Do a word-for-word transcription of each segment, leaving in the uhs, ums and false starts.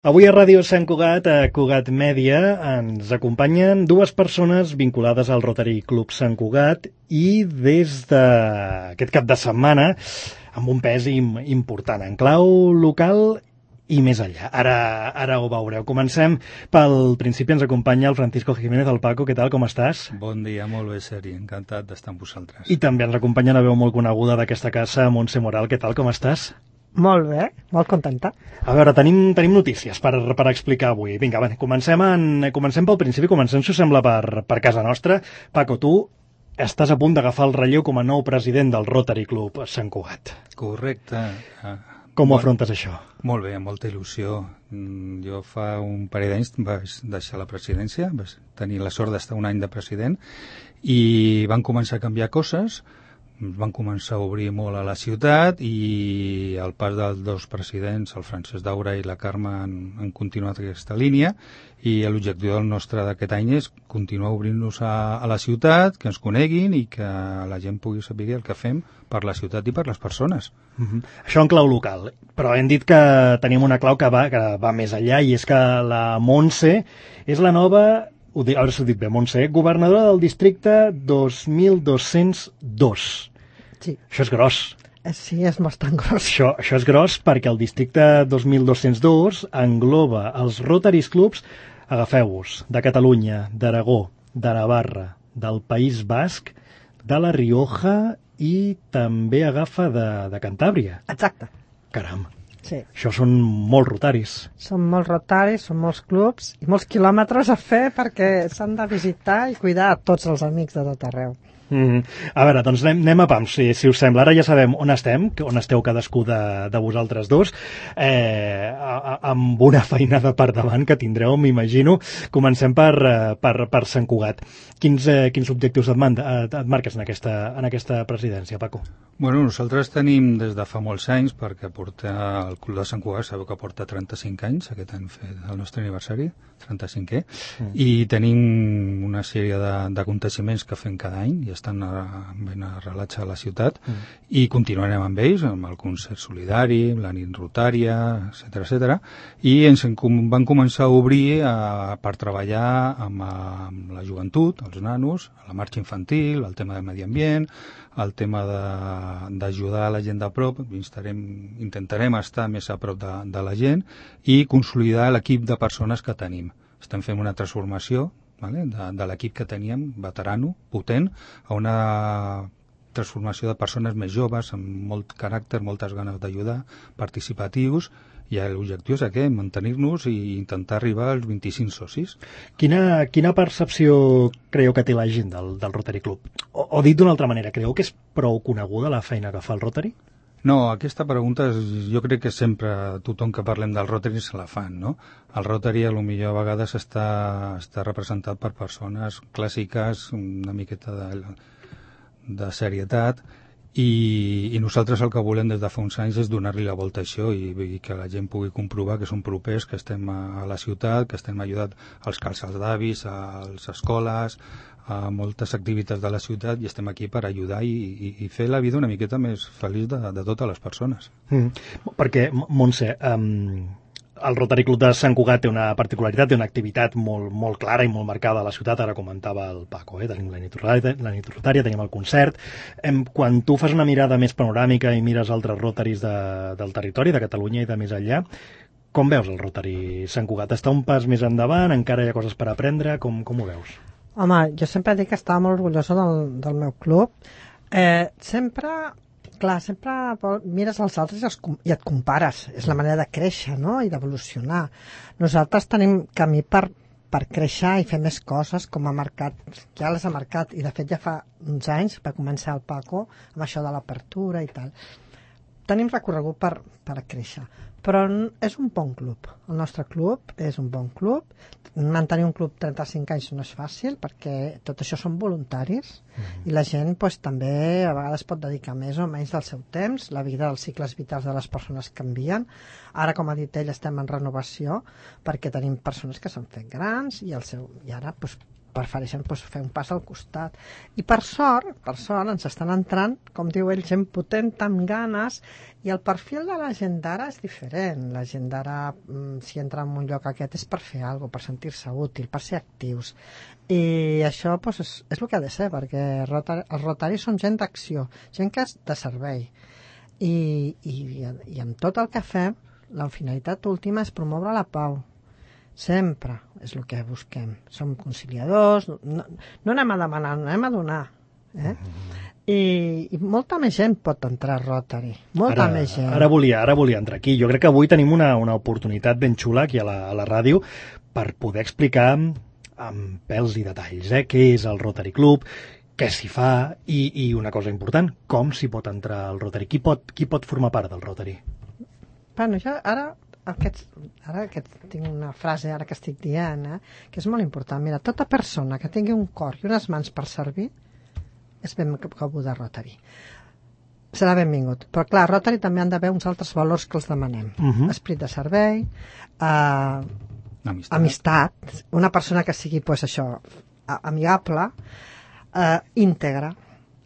Avui a Ràdio Sant Cugat, a Cugat Mèdia, ens acompanyen dues persones vinculades al Rotary Club Sant Cugat i des d'aquest cap de setmana amb un pes im important en clau local i més enllà. Ara, ara ho veureu. Comencem pel principi. Ens acompanya el Francisco Jiménez. El Paco, què tal, com estàs? Bon dia, molt bé, Seri. Encantat d'estar amb vosaltres. I també ens acompanya una veu molt coneguda d'aquesta casa, Montse Moral. Què tal, com estàs? Molt bé, molt contenta. A veure, tenim, tenim notícies per, per explicar avui. Vinga, va, comencem, en, comencem pel principi, comencem, si us sembla, per, per casa nostra. Paco, tu estàs a punt d'agafar el relleu com a nou president del Rotary Club Sant Cugat. Correcte. Com ho afrontes, això? Molt bé, amb molta il·lusió. Jo fa un parell d'anys vaig deixar la presidència, vaig tenir la sort d'estar un any de president, i van començar a canviar coses, van començar a obrir molt a la ciutat, i al pas dels dos presidents, el Francesc Daura i la Carme, han, han continuat aquesta línia, i l'objectiu del nostre d'aquest any és continuar obrint-nos a, a la ciutat, que ens coneguin i que la gent pugui saber el que fem per la ciutat i per les persones. Uh-huh. Això en clau local, però hem dit que tenim una clau que va, que va més enllà, i és que la Montse és la nova, ho dic, ara s'ho dic bé, Montse, governadora del districte dos mil dos-cents dos. Sí. Això és gros. Sí, és bastant gros. Això, això és gros perquè el districte dos mil dos-cents dos engloba els Rotaries Clubs, agafeu-vos, de Catalunya, d'Aragó, de Navarra, del País Basc, de la Rioja i també agafa de, de Cantàbria. Exacte. Caram. Sí. Això són molts rotaris. Són molts rotaris, són molts clubs i molts quilòmetres a fer perquè s'han de visitar i cuidar a tots els amics de tot arreu. Mm. A veure, doncs anem, anem a pam, si, si us sembla. Ara ja sabem on estem, on esteu cadascú de, de vosaltres dos, eh, a, a, amb una feinada per davant que tindreu, m'imagino. Comencem per, per, per Sant Cugat. Quins, eh, quins objectius et, manda, et, et marques en aquesta, en aquesta presidència, Paco? Bueno, nosaltres tenim des de fa molts anys, perquè porta el Club de Sant Cugat, sabeu que porta trenta-cinc anys, aquest any fet el nostre aniversari, trenta-cinquè, mm. i tenim una sèrie d'aconteciments que fem cada any, i estan ben arrelats a la ciutat, mm. i continuarem amb ells, amb el concert solidari, la nit rotària, etcètera, etcètera, i ens van començar a obrir a, per treballar amb, amb la joventut, els nanos, la marxa infantil, el tema del medi ambient, el tema d'ajudar la gent de prop, estarem, intentarem estar més a prop de, de la gent i consolidar l'equip de persones que tenim. Estem fent una transformació, vale, de, de l'equip que teníem, veterano, potent, a una transformació de persones més joves, amb molt caràcter, moltes ganes d'ajudar, participatius, i l'objectiu és aquest, mantenir-nos i intentar arribar als vint-i-cinc socis. Quina, quina percepció creieu que té la gent del, del Rotary Club? O, o dit d'una altra manera, creieu que és prou coneguda la feina que fa el Rotary? No, aquesta pregunta és, jo crec que sempre tothom que parlem del Rotary se la fan, no? El Rotary a lo millor a vegades està, està representat per persones clàssiques, una miqueta de, de serietat, I, i nosaltres el que volem des de fa uns anys és donar-li la volta a això i, i que la gent pugui comprovar que som propers, que estem a, a la ciutat, que estem ajudant als calçats d'avis, a les escoles, a moltes activitats de la ciutat, i estem aquí per ajudar i, i, i fer la vida una miqueta més feliç de, de totes les persones. Mm. Perquè, Montse, um, el Rotary Club de Sant Cugat té una particularitat, té una activitat molt, molt clara i molt marcada a la ciutat. Ara comentava el Paco, eh? Tenim la nit rotària, la nit rotària, tenim el concert. Em, quan tu fas una mirada més panoràmica i mires altres Rotaries de, del territori, de Catalunya i de més enllà, com veus el Rotary Sant Cugat? Està un pas més endavant? Encara hi ha coses per aprendre? Com, com ho veus? Home, jo sempre dic que estava molt orgullosa del, del meu club. Eh, sempre... Clar, sempre mires als altres i, els, i et compares. És la manera de créixer, no?, i d'evolucionar. Nosaltres tenim camí per, per créixer i fer més coses, com ha marcat, ja les ha marcat, i de fet ja fa uns anys va començar el Paco amb això de l'apertura i tal. Tenim recorregut per, per créixer, però és un bon club. El nostre club és un bon club. Mantenir un club trenta-cinc anys no és fàcil, perquè tot això són voluntaris, mm. i la gent pues, també a vegades pot dedicar més o menys del seu temps. La vida dels cicles vitals de les persones canvien. Ara, com ha dit ell, estem en renovació perquè tenim persones que s'han fet grans i, el seu, i ara pues, prefereixen doncs, fer un pas al costat. I per sort, per sort, ens estan entrant, com diu ell, gent potent, amb ganes, i el perfil de la gent d'ara és diferent. La gent d'ara, si entra en un lloc aquest, és per fer alguna cosa, per sentir-se útil, per ser actius. I això doncs, és, és el que ha de ser, perquè rotari, els rotaris són gent d'acció, gent que és de servei. I, i, i amb tot el que fem, la finalitat última és promoure la pau. Sempre és el que busquem. Som conciliadors, no, no anem a demanar, no anem a donar. Eh? I, I molta més gent pot entrar a Rotary. Molta ara, més gent. Ara volia, ara volia entrar aquí. Jo crec que avui tenim una, una oportunitat ben xula aquí a la, a la ràdio per poder explicar amb pèls i detalls eh, què és el Rotary Club, què s'hi fa i, i una cosa important, com s'hi pot entrar al Rotary. Qui pot, qui pot formar part del Rotary? Bueno, jo ara... Aquests, ara que tinc una frase ara que estic dient, eh, que és molt important. Mira, tota persona que tingui un cor i unes mans per servir és benvinguda a Rotary. Serà benvingut. Però clar, a Rotary també han d'haver uns altres valors que els demanem. Uh-huh. Esprit de servei, eh, amistat. amistat, una persona que sigui pues, això, amigable, eh, íntegra.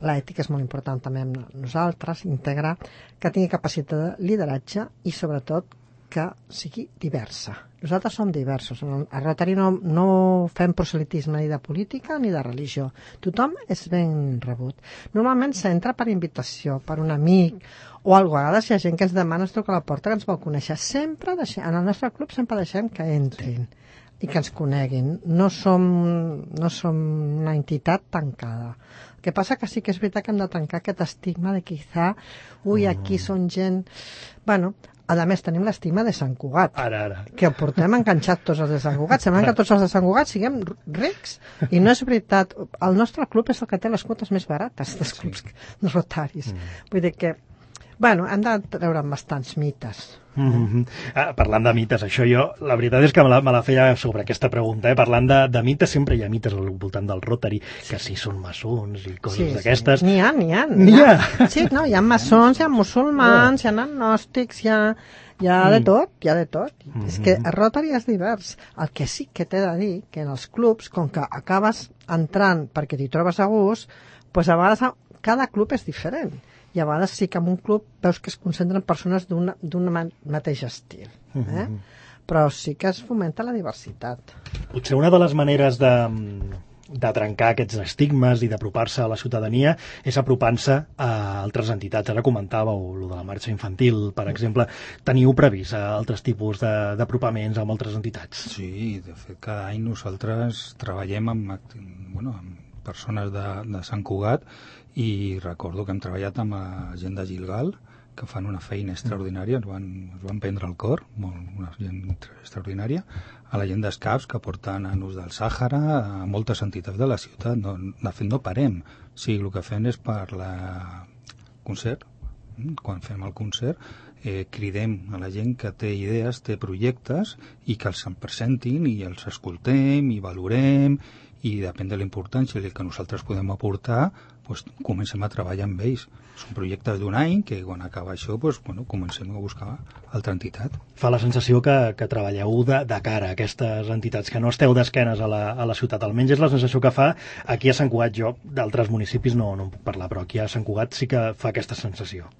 L'ètica és molt important també amb nosaltres, íntegra, que tingui capacitat de lideratge i sobretot que sigui diversa. Nosaltres som diversos. A Rotary no, no fem proselitisme ni de política ni de religió. Tothom és ben rebut. Normalment s'entra per invitació, per un amic, o a vegades hi ha gent que ens demana, es truca a la porta, que ens vol conèixer. Sempre deixem, en el nostre club sempre deixem que entrin i que ens coneguin. No som, no som una entitat tancada. El que passa que sí que és veritat que hem de tancar aquest estigma de quizá, ui, aquí són gent... Bueno, a més, tenim l'estigma de Sant Cugat, ara, ara. que ho portem enganxat tots els de Sant Cugat. Sembla que tots els de Sant Cugat siguem rics, i no és veritat. El nostre club és el que té les quotes més barates dels clubs sí. rotaris. Mm. Vull dir que, bueno, hem de treure bastants mites. Mm-hmm. Ah, parlant de mites, això jo, la veritat és que me la, me la feia sobre aquesta pregunta, eh? Parlant de, de mites, sempre hi ha mites al voltant del Rotary, que si són maçons i coses sí, d'aquestes. Sí. N'hi ha, n'hi ha. N'hi ha. Sí, no, hi ha maçons, hi ha musulmans, hi ha agnòstics, hi ha, hi ha de tot, hi ha de tot. Mm-hmm. És que el Rotary és divers. El que sí que t'he de dir, que en els clubs, com que acabes entrant perquè t'hi trobes a gust, doncs a vegades cada club és diferent. I a vegades sí que en un club veus que es concentren persones d'un mateix estil. Eh? Mm-hmm. Però sí que es fomenta la diversitat. Potser una de les maneres de, de trencar aquests estigmes i d'apropar-se a la ciutadania és apropant-se a altres entitats. Ara comentàveu el de la marxa infantil, per exemple. Teniu previst altres tipus d'apropaments amb altres entitats? Sí, de fet, cada any nosaltres treballem amb, bueno, amb persones de, de Sant Cugat i recordo que hem treballat amb la gent de Gilgal, que fan una feina extraordinària, ens van, ens van prendre el cor, molt, una gent extraordinària, a la gent d'Escaps, que porten a Nus del Sàhara, a moltes entitats de la ciutat. No, de fet, no parem. Sí, el que fem és per la concert, quan fem el concert, eh, cridem a la gent que té idees, té projectes, i que els presentin i els escoltem i valorem, i depèn de la importància que nosaltres podem aportar, doncs comencem a treballar amb ells. Són projectes d'un any que quan acaba això doncs, bueno, comencem a buscar altra entitat. Fa la sensació que, que treballeu de, de cara a aquestes entitats, que no esteu d'esquenes a, la, a la ciutat. Almenys és la sensació que fa aquí a Sant Cugat. Jo d'altres municipis no, no en puc parlar, però aquí a Sant Cugat sí que fa aquesta sensació.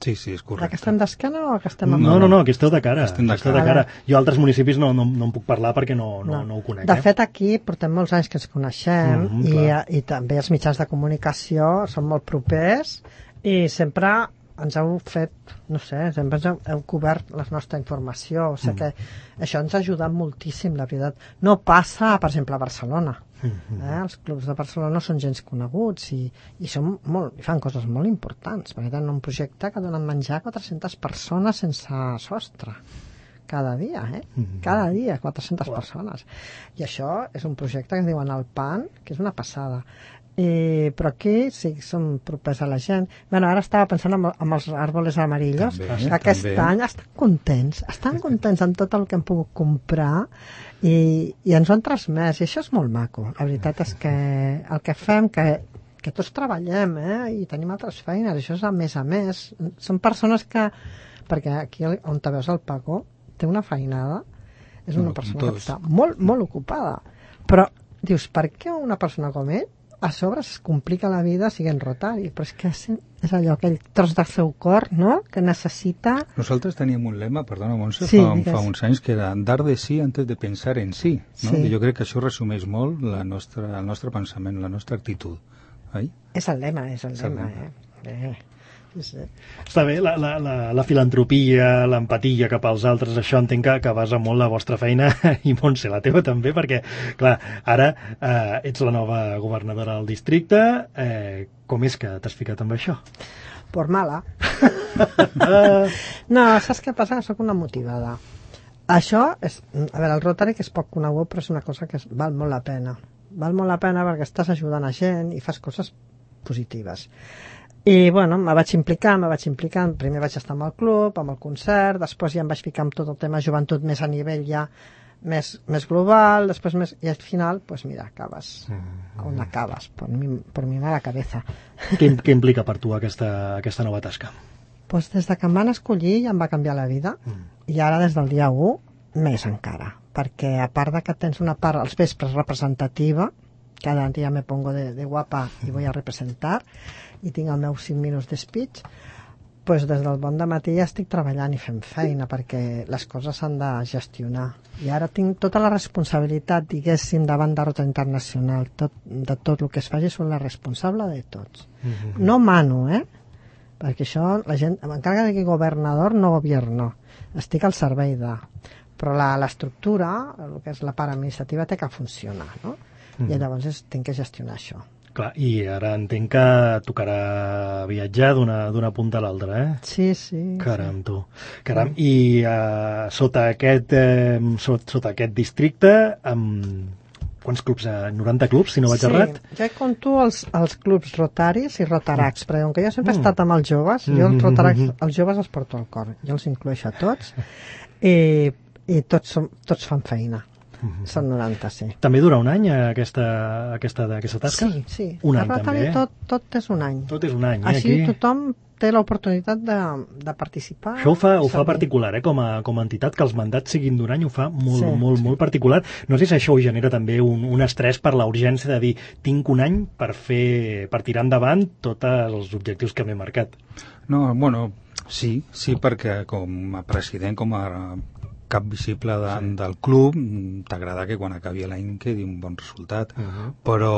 Sí, sí, és correcte. Que estem d'esquena o que estem... No, no, no, que esteu de cara. Estem de cara. De cara. Jo a altres municipis no, no, no en puc parlar perquè no, no, no. no ho conec. De eh? fet, aquí portem molts anys que ens coneixem mm-hmm, i, i també els mitjans de comunicació són molt propers i sempre ens heu fet, no sé, sempre ens heu, heu cobert la nostra informació. O sigui mm. que això ens ha ajudat moltíssim, la veritat. No passa, per exemple, a Barcelona. Mm-hmm. Eh? Els clubs de Barcelona són gens coneguts i, i, són molt, i fan coses molt importants, perquè tenen un projecte que donen menjar a quatre-centes persones sense sostre cada dia, eh? Mm-hmm. Cada dia, quatre-centes wow. persones. I això és un projecte que es diuen el P A N, que és una passada. I, però aquí sí que som propers a la gent. Bueno, ara estava pensant amb, amb els árboles amarillos, també, que aquest també. any estan contents, estan contents amb tot el que hem pogut comprar i, i ens ho han transmès, i això és molt maco. La veritat és que el que fem, que, que tots treballem, eh? I tenim altres feines, això és a més a més. Són persones que, perquè aquí on te veus el Paco, té una feinada, és una no, persona que està molt, molt ocupada, però dius, per què una persona com ell a sobre es complica la vida siguent rotari? Però és que és, és allò, aquell tros del seu cor, no?, que necessita... Nosaltres teníem un lema, perdona, Montse, sí, fa, fa uns anys, que era dar de sí antes de pensar en sí, no? Sí. I jo crec que això resumeix molt la nostra, el nostre pensament, la nostra actitud, oi? És el lema, és el És el lema, lema. eh? eh. Sí, sí. Està bé, la, la, la, la filantropia, l'empatia cap als altres, això entenc que, que basa molt la vostra feina, i Montse, la teva també, perquè, clar, ara eh, ets la nova governadora del districte, eh, com és que t'has ficat amb això? Por mala. No, saps què passa? Soc una motivada. Això és, a veure, el Rotary, que és poc conegut, però és una cosa que es, val molt la pena. Val molt la pena perquè estàs ajudant a gent i fas coses positives. I, bueno, me vaig implicar, me vaig implicar, primer vaig estar amb el club, amb el concert, després ja em vaig ficar amb tot el tema joventut més a nivell ja més, més global, després més... I al final, pues mira, acabes on acabes, por mi, por mi mala cabeza. Què, què implica per tu aquesta, aquesta nova tasca? Pues des de que em van escollir ja em va canviar la vida, mm. i ara des del dia u més encara, perquè a part de que tens una part als vespres representativa, cada dia me pongo de, de guapa i voy a representar, i tinc el meu cinc minuts de speech, pues des del bon de matí ja estic treballant i fent feina, perquè les coses s'han de gestionar. I ara tinc tota la responsabilitat, diguéssim, davant de Rota Internacional, tot, de tot el que es faci, soc la responsable de tots. Mm-hmm. No mano, eh? Perquè això, la gent, m'encarga de que governador no gobierno, estic al servei de... Però la, l'estructura, el que és la part administrativa, té que funcionar, no? Mm. I llavors és, tinc que gestionar això. Clar, i ara entenc que tocarà viatjar d'una, d'una punta a l'altra, eh? Sí, sí. Caram, tu. Caram, mm. i uh, sota, aquest, eh, sota, sota aquest districte, amb quants clubs? noranta clubs, si no vaig sí, errat? Sí, jo hi conto els, els clubs rotaris i rotaracs, mm. perquè com que jo sempre he mm. estat amb els joves, jo els rotaracs, els joves els porto al cor, jo els incloeixo a tots, i, i tots, som, tots fan feina. Mm-hmm. Són noranta, sí. També dura un any aquesta, aquesta, aquesta tasca? Sí, sí. Un a any Rotary també, eh? tot, tot és un any. Tot és un any, eh? Així Aquí... tothom té l'oportunitat de, de participar. Això ho fa, ho fa particular, eh? Com a, com a entitat, que els mandats siguin d'un any, ho fa molt, sí, molt, sí. molt particular. No sé si això ho genera també un, un estrès per la urgència de dir tinc un any per fer, per tirar endavant tots els objectius que m'he marcat. No, bueno, sí, sí, perquè com a president, com a cap visible de, sí. del club, t'agrada que quan acabi l'any quedi un bon resultat, uh-huh. però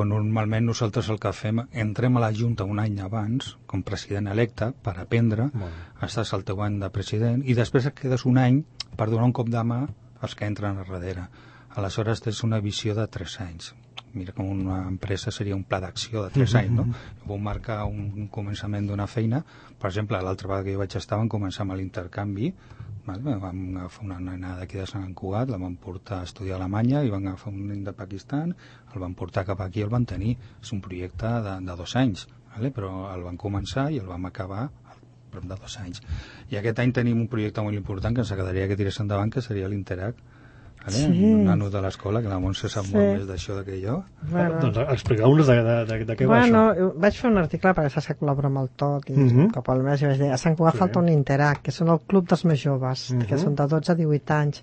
normalment nosaltres el que fem, entrem a la Junta un any abans, com president electe, per aprendre, bueno. estàs al teu any de president, i després et quedes un any per donar un cop de mà als que entren a darrere. Aleshores tens una visió de tres anys. Mira, com una empresa seria un pla d'acció de tres uh-huh. anys, no? Vam marcar un començament d'una feina, per exemple, l'altra vegada que jo vaig estar vam començar amb l'intercanvi. Vale, vam agafar una nena d'aquí de Sant Cugat, la vam portar a estudiar a Alemanya i van agafar un nen de Pakistan, el van portar cap aquí i el van tenir. És un projecte de, de dos anys, vale? Però el van començar i el vam acabar prop de dos anys. I aquest any tenim un projecte molt important que ens agradaria que tirés endavant, que seria l'Interac. Vale? Sí. Un nano de l'escola, que la Montse sap sí. molt més d'això que jo. Bueno. Doncs expliqueu-nos de, de, de, de què bueno, va això. Vaig fer un article perquè saps que col·laboro amb el T O C i uh-huh. cap al mes i vaig dir a Sant Cugat sí. falta un Interac, que són el club dels més joves, uh-huh. que són de dotze a divuit anys.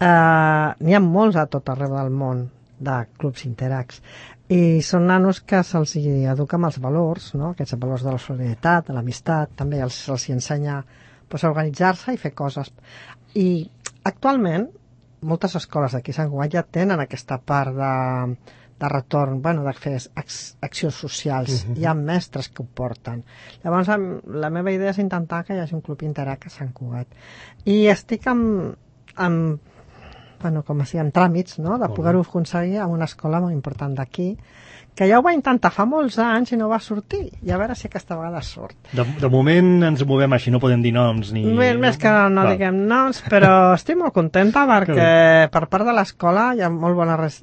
Uh, N'hi ha molts a tot arreu del món de clubs Interacs. I són nanos que se'ls educa amb els valors, no? Aquests valors de la solidaritat, de l'amistat, també els, els ensenya pues, a organitzar-se i fer coses. I actualment moltes escoles d'aquí a Sant Cugat ja tenen aquesta part de, de retorn, bueno, de fer accions socials. Uh-huh. Hi ha mestres que ho porten. Llavors, la meva idea és intentar que hi hagi un club Interac a Sant Cugat. I estic amb, amb bueno, com si en tràmits, no?, de poder-ho aconseguir a una escola molt important d'aquí, que ja ho va intentar fa molts anys i no va sortir, i a veure si aquesta vegada surt. De, de moment ens movem així, no podem dir noms ni... Més, més que no Val. diguem noms, però estic molt contenta perquè per part de l'escola hi ha molt bona res,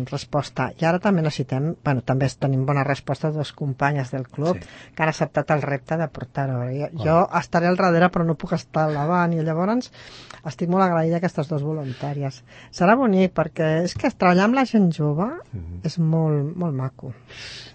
resposta, i ara també necessitem, bueno, també tenim bona resposta de dos companyes del club sí. que han acceptat el repte de portar-ho. Jo, jo estaré al darrere però no puc estar al davant, i llavors estic molt agraïda a aquestes dues voluntàries. Serà bonic perquè és que treballar amb la gent jove mm-hmm. és molt, molt maco.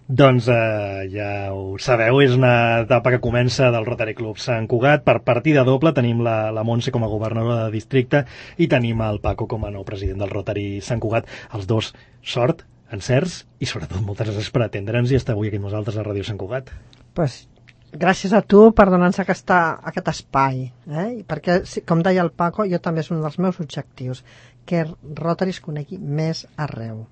Doncs eh, ja ho sabeu, és una etapa que comença del Rotary Club Sant Cugat. Per partida doble tenim la, la Montse com a governadora de districte i tenim el Paco com a nou president del Rotary Sant Cugat. Els dos, sort encerts i sobretot moltes gràcies per atendre'ns i estar avui aquí amb nosaltres a Ràdio Sant Cugat. Pues, gràcies a tu per donar-nos aquesta, aquest espai, eh? Perquè, com deia el Paco, jo també és un dels meus objectius, que Rotary es conegui més arreu,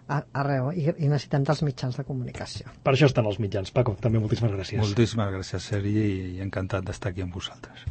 arreu i, i necessitem dels mitjans de comunicació. Per això estan els mitjans. Paco, també moltíssimes gràcies. Moltíssimes gràcies, Sergi, i encantat d'estar aquí amb vosaltres.